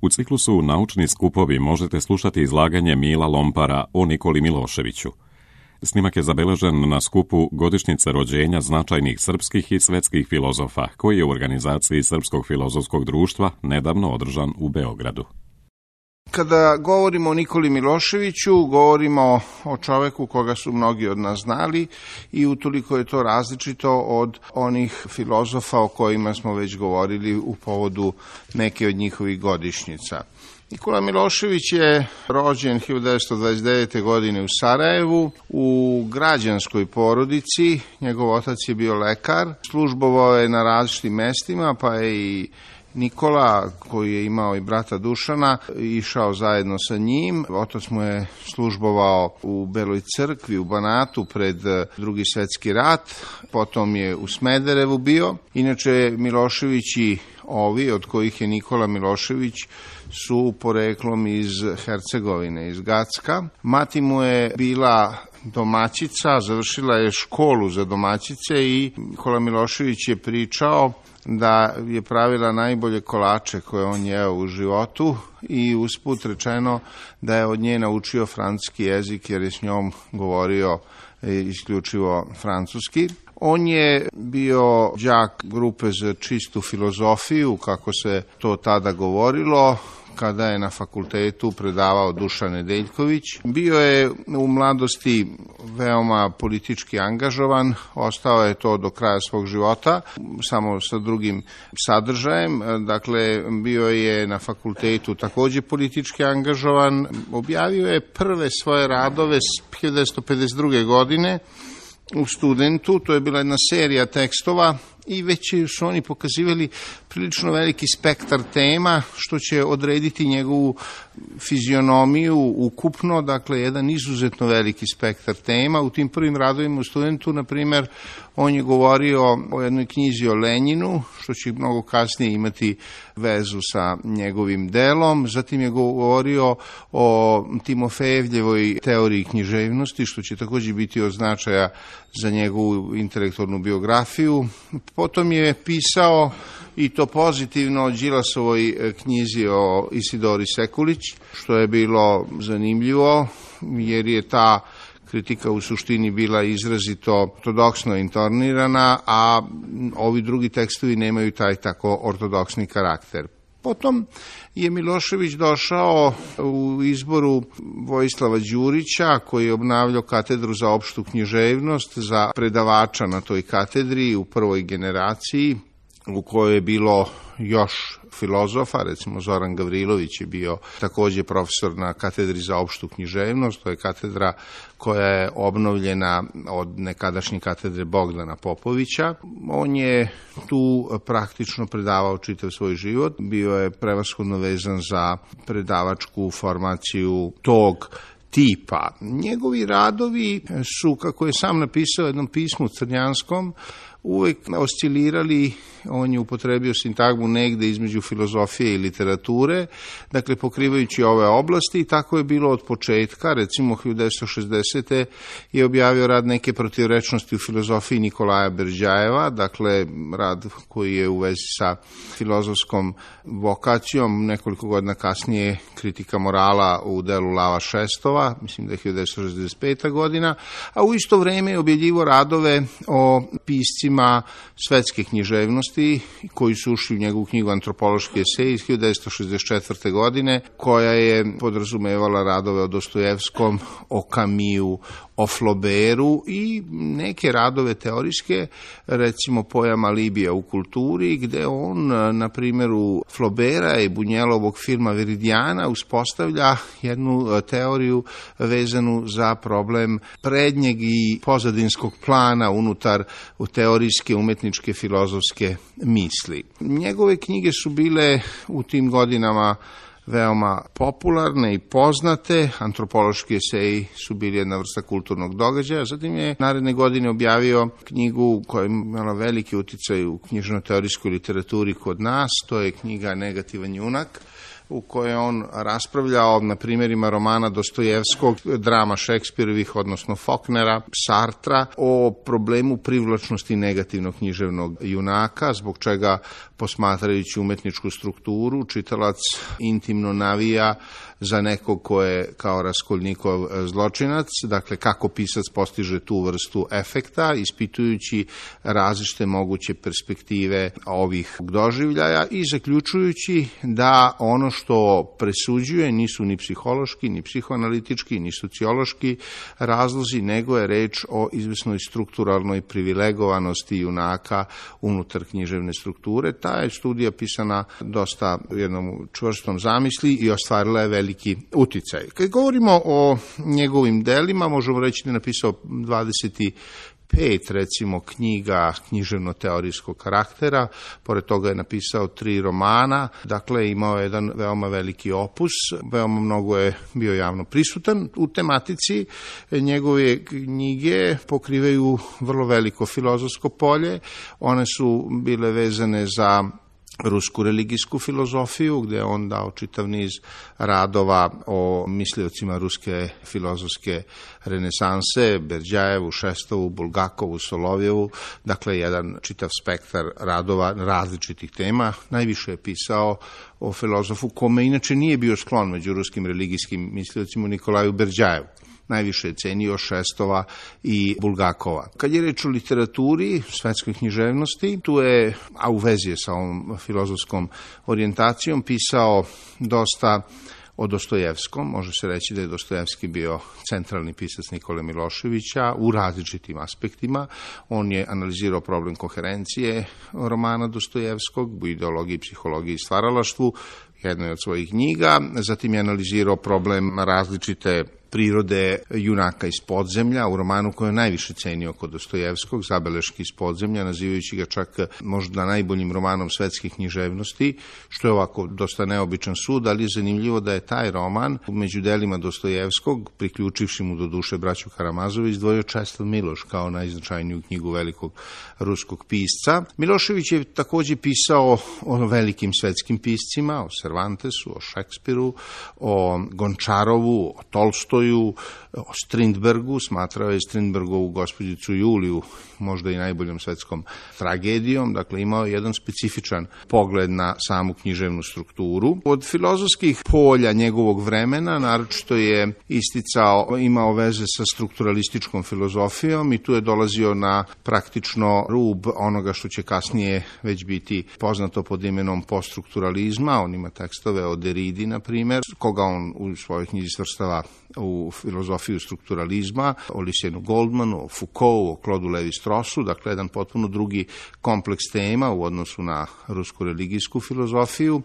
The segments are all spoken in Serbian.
U ciklusu Naučni skupovi možete slušati izlaganje Mila Lompara o Nikoli Miloševiću. Snimak je zabeležen na skupu godišnjice rođenja značajnih srpskih i svetskih filozofa, koji je u organizaciji Srpskog filozofskog društva nedavno održan u Beogradu. Kada govorimo o Nikoli Miloševiću, govorimo o čoveku koga su mnogi od nas znali i utoliko je to različito od onih filozofa o kojima smo već govorili u povodu neke od njihovih godišnjica. Nikola Milošević je rođen 1929. godine u Sarajevu u građanskoj porodici. Njegov otac je bio lekar, službovao je na različitim mestima, pa je i Nikola, koji je imao i brata Dušana, išao zajedno sa njim. Otac mu je službovao u Beloj crkvi u Banatu pred Drugi svetski rat, potom je u Smederevu bio. Inače, Miloševići, ovi od kojih je Nikola Milošević, su poreklom iz Hercegovine, iz Gacka. Mati mu je bila domaćica, završila je školu za domaćice i Nikola Milošević je pričao da je pravila najbolje kolače koje on jeo u životu i usput rečeno da je od nje naučio francuski jezik jer je s njom govorio isključivo francuski. On je bio đak grupe za čistu filozofiju, kako se to tada govorilo, kada je na fakultetu predavao Dušan Nedeljković. Bio je u mladosti veoma politički angažovan, ostao je to do kraja svog života, samo sa drugim sadržajem. Dakle, bio je na fakultetu takođe politički angažovan. Objavio je prve svoje radove 1952. godine u Studentu, to je bila jedna serija tekstova i već su oni pokazivali prilično veliki spektar tema, što će odrediti njegovu fizionomiju ukupno, dakle jedan izuzetno veliki spektar tema. U tim prvim radovima u Studentu, na primer, on je govorio o jednoj knjizi o Lenjinu, što će mnogo kasnije imati vezu sa njegovim delom. Zatim je govorio o Timofejevljevoj teoriji književnosti, što će takođe biti od značaja za njegovu intelektualnu biografiju. Potom je pisao, i to pozitivno, o Đilasovoj knjizi o Isidori Sekulić, što je bilo zanimljivo, jer je ta kritika u suštini bila izrazito ortodoksno intonirana, a ovi drugi tekstovi nemaju taj tako ortodoksni karakter. Potom je Milošević došao u izboru Vojislava Đurića, koji je obnavljao katedru za opštu književnost, za predavača na toj katedri u prvoj generaciji, u kojoj je bilo još filozofa, recimo Zoran Gavrilović je bio takođe profesor na katedri za opštu književnost, to je katedra koja je obnovljena od nekadašnje katedre Bogdana Popovića. On je tu praktično predavao čitav svoj život, bio je prevashodno vezan za predavačku formaciju tog tipa. Njegovi radovi su, kako je sam napisao u jednom pismu crnjanskom, uvek oscilirali, on je upotrebio sintagmu negde između filozofije i literature, dakle pokrivajući ove oblasti, i tako je bilo od početka. Recimo 1960. je objavio rad Neke protivrečnosti u filozofiji Nikolaja Berđajeva, dakle rad koji je u vezi sa filozofskom vokacijom. Nekoliko godina kasnije Kritika morala u delu Lava Šestova, mislim da je 1965. godina, a u isto vreme je objavljivo radove o piscima svetske književnosti koji su ušli u njegovu knjigu Antropološki esej iz 1964. godine, koja je podrazumevala radove o Dostojevskom, o Kamiju, o Flaubertu i neke radove teorijske, recimo pojam alibija u kulturi, gde on na primjeru Flauberta i Bunjelovog filma Veridiana uspostavlja jednu teoriju vezanu za problem prednjeg i pozadinskog plana unutar teorijske, umetničke, filozofske misli. Njegove knjige su bile u tim godinama veoma popularne i poznate. Antropološki eseji su bili jedna vrsta kulturnog događaja. Zatim je naredne godine objavio knjigu koja je imala veliki uticaj u knjižno-teorijskoj literaturi kod nas. To je knjiga Negativan junak, u kojoj on raspravljao na primjerima romana Dostojevskog, drama Šekspirovih, odnosno Faulknera, Sartra, o problemu privlačnosti negativnog književnog junaka, zbog čega, posmatrajući umetničku strukturu, čitalac intimno navija za nekog ko je kao Raskolnikov zločinac, dakle kako pisac postiže tu vrstu efekta, ispitujući različite moguće perspektive ovih doživljaja i zaključujući da ono što presuđuje nisu ni psihološki, ni psihoanalitički, ni sociološki razlozi, nego je reč o izvesnoj strukturalnoj privilegovanosti junaka unutar književne strukture. Ta je studija pisana dosta u jednom čvrstom zamisli i ostvarila je veliki uticaj. Kad govorimo o njegovim delima, možemo reći da je napisao 25 recimo knjiga književno-teorijskog karaktera, pored toga je napisao 3 romana, dakle imao je jedan veoma veliki opus, veoma mnogo je bio javno prisutan u tematici. Njegove knjige pokrivaju vrlo veliko filozofsko polje, one su bile vezane za rusku religijsku filozofiju, gde je on dao čitav niz radova o misliocima ruske filozofske renesanse, Berdjajevu, Šestovu, Bulgakovu, Solovjevu, dakle jedan čitav spektar radova različitih tema. Najviše je pisao o filozofu kome inače nije bio sklon među ruskim religijskim misliocima, Nikolaju Berdjajevu. Najviše je cenio Šestova i Bulgakova. Kad je reč o literaturi, svetskoj književnosti, tu je, a u vezi je sa ovom filozofskom orijentacijom, pisao dosta o Dostojevskom. Može se reći da je Dostojevski bio centralni pisac Nikole Miloševića u različitim aspektima. On je analizirao problem koherencije romana Dostojevskog u ideologiji, psihologiji i stvaralaštvu, jednoj od svojih knjiga. Zatim je analizirao problem različite prirode junaka iz podzemlja, u romanu koji je najviše cenio kod Dostojevskog, Zabeleški iz podzemlja, nazivajući ga čak možda najboljim romanom svetske književnosti, što je ovako dosta neobičan sud, ali je zanimljivo da je taj roman među delima Dostojevskog, priključivši mu do duše braću Karamazovi, izdvojio Česlav Miloš kao najznačajniju knjigu velikog ruskog pisca. Milošević je takođe pisao o velikim svetskim piscima, o Cervantesu, o Šekspiru, o Gončarovu, o Tolstoju, o Strindbergu, smatrao je Strindbergovu gospođicu Juliju možda i najboljom svetskom tragedijom, dakle imao je jedan specifičan pogled na samu književnu strukturu. Od filozofskih polja njegovog vremena naročito je isticao, imao veze sa strukturalističkom filozofijom i tu je dolazio na praktično rub onoga što će kasnije već biti poznato pod imenom poststrukturalizma. On ima tekstove o Derridi, na primjer, koga on u svojoj knjizi svrstava u filozofiju strukturalizma, o Lysianu Goldmanu, o Foucaultu, o Claude Lévi-Strausu, dakle jedan potpuno drugi kompleks tema u odnosu na rusku religijsku filozofiju.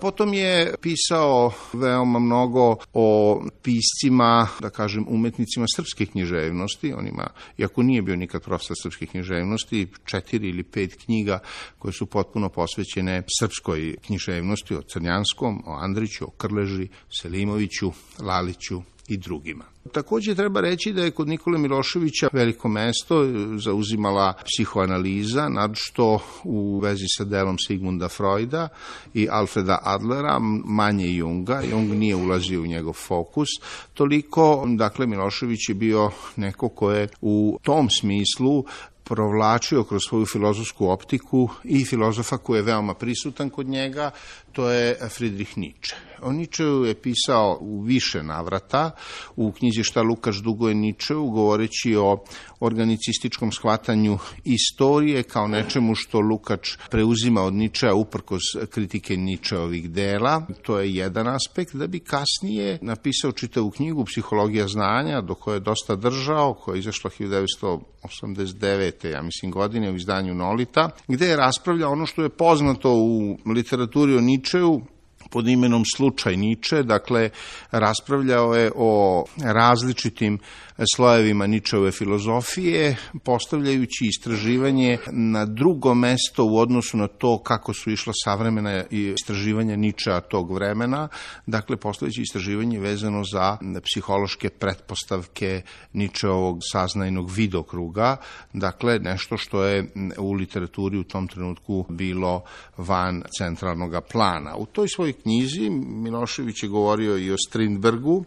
Potom je pisao veoma mnogo o piscima, da kažem, umetnicima srpske književnosti. On ima, iako nije bio nikad profesor srpske književnosti, 4 ili 5 knjiga koje su potpuno posvećene srpskoj književnosti, o Crnjanskom, o Andriću, o Krleži, Selimoviću, Laliću i drugima. Takođe treba reći da je kod Nikole Miloševića veliko mesto zauzimala psihoanaliza, naročito u vezi sa delom Sigmunda Freuda i Alfreda Adlera, manje Junga. Jung nije ulazio u njegov fokus toliko, dakle Milošević je bio neko ko je u tom smislu provlačio kroz svoju filozofsku optiku i filozofa koji je veoma prisutan kod njega, to je Friedrich Nietzsche. O Nietzscheu je pisao u više navrata, u knjizi Šta Lukač duguje Nietzscheu, govoreći o organicističkom shvatanju istorije kao nečemu što Lukač preuzima od Nietzschea uprkos kritike Nietzscheovih dela. To je jedan aspekt, da bi kasnije napisao čitavu knjigu Psihologija znanja, do koje je dosta držao, koja je izašla 1989. ja mislim godine u izdanju Nolita, gde je raspravljao ono što je poznato u literaturi o Nietzscheu pod imenom slučaj Nietzsche, dakle raspravljao je o različitim slojevima Nietzscheove filozofije, postavljajući istraživanje na drugo mesto u odnosu na to kako su išla savremena istraživanja Nietzschea tog vremena, dakle postavljajući istraživanje vezano za psihološke pretpostavke Nietzscheovog saznajnog vidokruga, dakle nešto što je u literaturi u tom trenutku bilo van centralnog plana. U toj svojoj knjizi Milošević je govorio i o Strindbergu,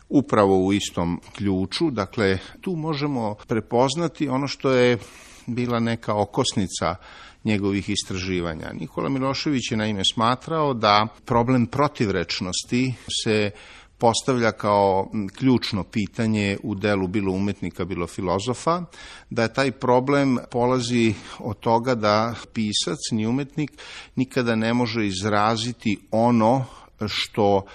upravo u istom ključu. Dakle, tu možemo prepoznati ono što je bila neka okosnica njegovih istraživanja. Nikola Milošević je naime smatrao da problem protivrečnosti se postavlja kao ključno pitanje u delu bilo umetnika, bilo filozofa, da je taj problem polazi od toga da pisac, ni umetnik, nikada ne može izraziti ono što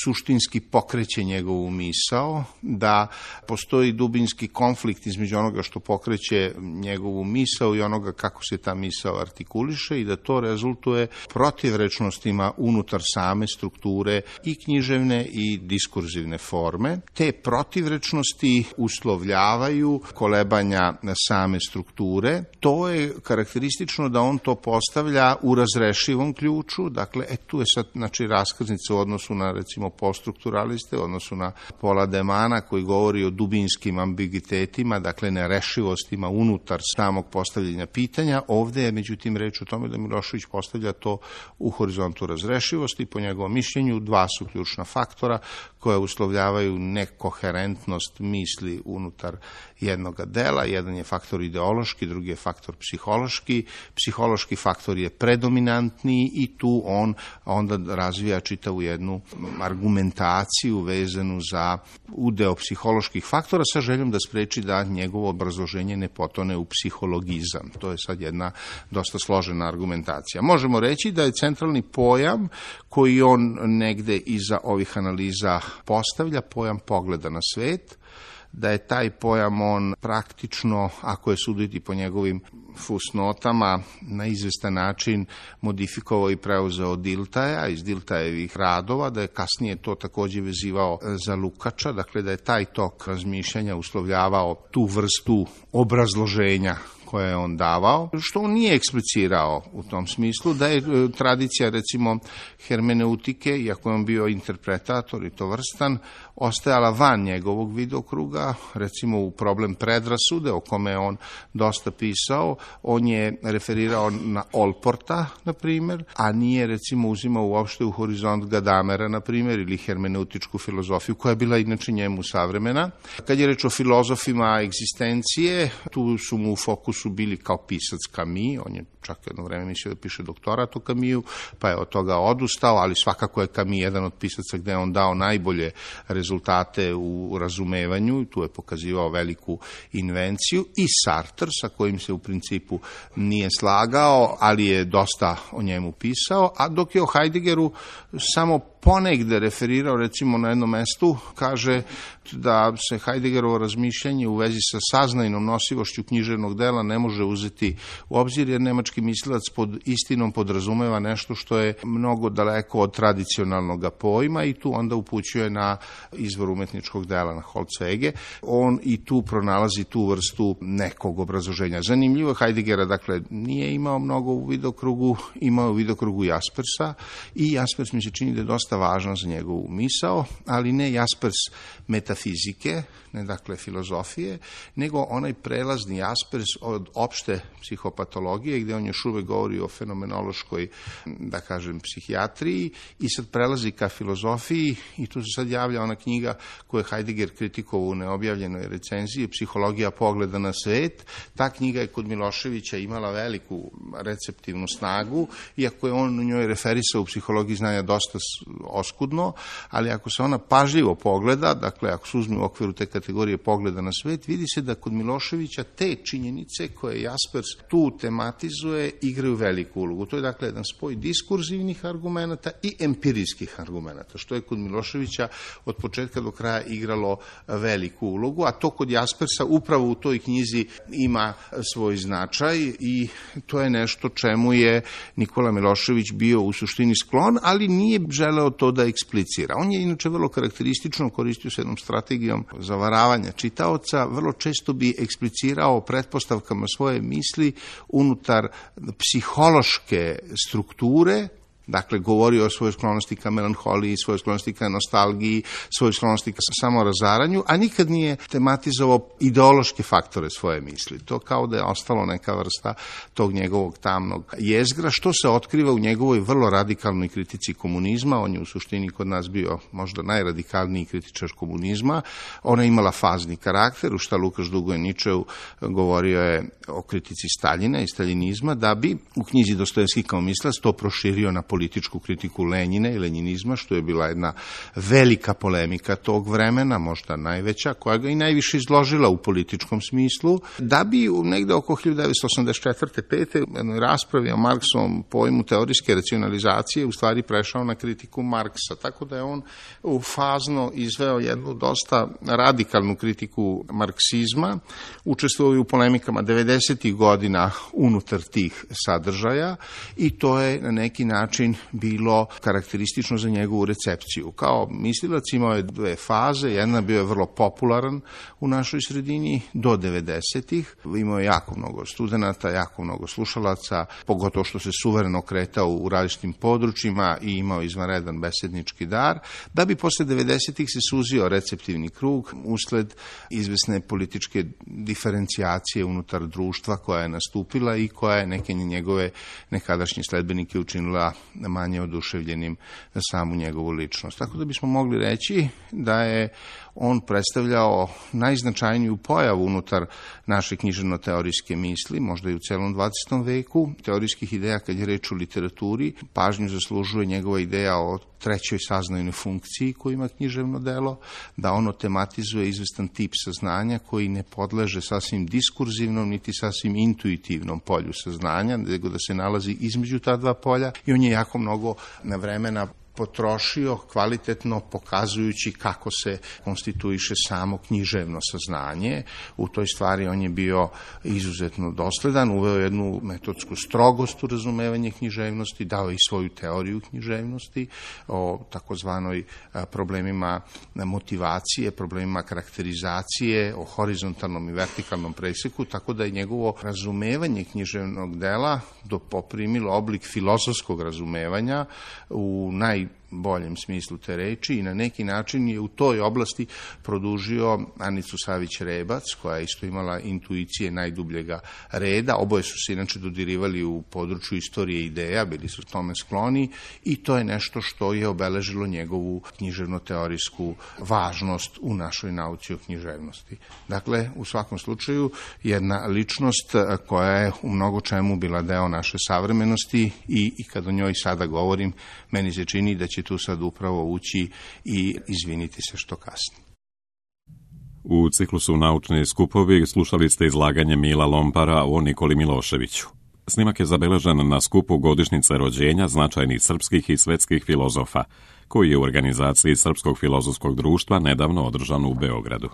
suštinski pokreće njegovu misao, da postoji dubinski konflikt između onoga što pokreće njegovu misao i onoga kako se ta misao artikuliše i da to rezultuje protivrečnostima unutar same strukture i književne i diskurzivne forme. Te protivrečnosti uslovljavaju kolebanja same strukture. To je karakteristično da on to postavlja u razrešivom ključu, dakle, tu je sad raskrsnica u odnosu na, recimo, poststrukturaliste, u odnosu na Paula Demana koji govori o dubinskim ambiguitetima, dakle nerešivostima unutar samog postavljanja pitanja. Ovde je, međutim, reč o tome da Milošević postavlja to u horizontu razrešivosti. Po njegovom mišljenju, dva su ključna faktora koja uslovljavaju nekoherentnost misli unutar jednog dela. Jedan je faktor ideološki, drugi je faktor psihološki. Psihološki faktor je predominantniji i tu on onda razvija čitavu jednu argumentaciju vezanu za udeo psiholoških faktora sa željom da spreči da njegovo obrazloženje ne potone u psihologizam. To je sad jedna dosta složena argumentacija. Možemo reći da je centralni pojam koji on negde iza ovih analiza postavlja, pojam pogleda na svet, da je taj pojam on praktično, ako je suditi po njegovim fusnotama, na izvestan način modifikovao i preuzeo od Diltaja, iz Diltajevih radova, da je kasnije to takođe vezivao za Lukača, dakle da je taj tok razmišljanja uslovljavao tu vrstu obrazloženja koje je on davao, što on nije eksplicirao u tom smislu, da je tradicija, recimo, hermeneutike, iako je on bio interpretator i to vrstan, ostajala van njegovog vidokruga, recimo u problem predrasude, o kome je on dosta pisao, on je referirao na Olporta, na primjer, a nije, recimo, uzimao uopšte u horizont Gadamera, na primjer, ili hermeneutičku filozofiju, koja je bila inače njemu savremena. Kad je reč o filozofima egzistencije, tu su mu u fokusu bili kao pisac Camus, on je čak jedno vreme mislio da piše doktorat o Camusu, pa je od toga odustao, ali svakako je Camus jedan od pisaca gde je on dao najbolje rezultate u razumevanju, tu je pokazivao veliku invenciju, i Sartre, sa kojim se u principu nije slagao, ali je dosta o njemu pisao, a dok je o Heideggeru samo ponegde referirao, recimo na jednom mestu, kaže da se Heideggerovo razmišljanje u vezi sa saznajnom nosivošću književnog dela ne može uzeti u obzir, jer nemački mislilac pod istinom podrazumeva nešto što je mnogo daleko od tradicionalnog pojma i tu onda upućuje na izvor umetničkog dela, na Holzwege. On i tu pronalazi tu vrstu nekog obrazloženja. Zanimljivo, Heideggera, dakle, nije imao mnogo u vidokrugu, imao u vidokrugu Jaspersa i Jaspers mi se čini da je dosta važan za njegovu misao, ali ne Jaspers metafizike, ne dakle filozofije, nego onaj prelazni Jaspers od opšte psihopatologije, gde on još uvek govori o fenomenološkoj, da kažem, psihijatriji i sad prelazi ka filozofiji i tu se sad javlja ona knjiga koju je Heidegger kritikovao u neobjavljenoj recenziji, Psihologija pogleda na svet. Ta knjiga je kod Miloševića imala veliku receptivnu snagu, iako je on u njoj referisao u psihologiji znanja dosta oskudno, ali ako se ona pažljivo pogleda, dakle ako se uzme u okviru te kategorije pogleda na svet, vidi se da kod Miloševića te činjenice koje Jaspers tu tematizuje igraju veliku ulogu. To je dakle jedan spoj diskurzivnih argumenata i empirijskih argumenata, što je kod Miloševića od početka do kraja igralo veliku ulogu, a to kod Jaspersa upravo u toj knjizi ima svoj značaj i to je nešto čemu je Nikola Milošević bio u suštini sklon, ali nije želeo to da eksplicira. On je inače vrlo karakteristično koristio se jednom strategijom zavaravanja čitaoca, vrlo često bi eksplicirao pretpostavkama svoje misli unutar psihološke strukture Dakle, govorio o svojoj sklonosti ka melanholiji, svojoj sklonosti ka nostalgiji, svojoj sklonosti ka samorazaranju, a nikad nije tematizovao ideološke faktore svoje misli. To kao da je ostalo neka vrsta tog njegovog tamnog jezgra, što se otkriva u njegovoj vrlo radikalnoj kritici komunizma. On je u suštini kod nas bio možda najradikalniji kritičar komunizma. Ona je imala fazni karakter, u šta Lukaš Dugoje Ničeu govorio je o kritici Staljina i staljinizma, da bi u knjizi Dostojevski kao mislac to proširio na političku kritiku Lenjina i lenjinizma, što je bila jedna velika polemika tog vremena, možda najveća, koja ga i najviše izložila u političkom smislu, da bi negde oko 1984. 5. u jednoj raspravi o Marksovom pojmu teorijske racionalizacije u stvari prešao na kritiku Marksa, tako da je on fazno izveo jednu dosta radikalnu kritiku marksizma, učestvovao u polemikama 90. godina unutar tih sadržaja i to je na neki način bilo karakteristično za njegovu recepciju. Kao mislilac imao je dve faze, jedna bio je vrlo popularan u našoj sredini do 90-ih, imao je jako mnogo studenata, jako mnogo slušalaca, pogotovo što se suvereno kretao u različitim područjima i imao izvanredan besednički dar, da bi posle 90-ih se suzio receptivni krug usled izvesne političke diferencijacije unutar društva koja je nastupila i koja je neke njegove nekadašnje sledbenike učinila manje oduševljenim na samu njegovu ličnost. Tako da bismo mogli reći da je on predstavljao najznačajniju pojavu unutar naše književno-teorijske misli, možda i u celom 20. veku, teorijskih ideja kad je reč o literaturi. Pažnju zaslužuje njegova ideja o trećoj saznajnoj funkciji koju ima književno delo, da ono tematizuje izvestan tip saznanja koji ne podleže sasvim diskurzivnom niti sasvim intuitivnom polju saznanja, nego da se nalazi između ta dva polja i on je jako mnogo vremena potrošio kvalitetno pokazujući kako se konstituiše samo književno saznanje. U toj stvari on je bio izuzetno dosledan, uveo jednu metodsku strogost u razumevanje književnosti, dao i svoju teoriju književnosti o takozvanoj problemima motivacije, problemima karakterizacije, o horizontalnom i vertikalnom preseku, tako da je njegovo razumevanje književnog dela poprimilo oblik filozofskog razumevanja u najboljem smislu te reči i na neki način je u toj oblasti produžio Anicu Savić-Rebac, koja je isto imala intuicije najdubljega reda. Oboje su se inače dodirivali u području istorije ideja, bili su tome skloni i to je nešto što je obeležilo njegovu književno-teorijsku važnost u našoj nauci o književnosti. Dakle, u svakom slučaju, jedna ličnost koja je u mnogo čemu bila deo naše savremenosti i kad o njoj sada govorim, meni se čini da će tu sad upravo ući i izviniti se što kasni. U ciklusu Naučni skupovi slušali ste izlaganje Mila Lompara o Nikoli Miloševiću. Snimak je zabeležen na skupu godišnjice rođenja značajnih srpskih i svetskih filozofa, koji je u organizaciji Srpskog filozofskog društva nedavno održan u Beogradu.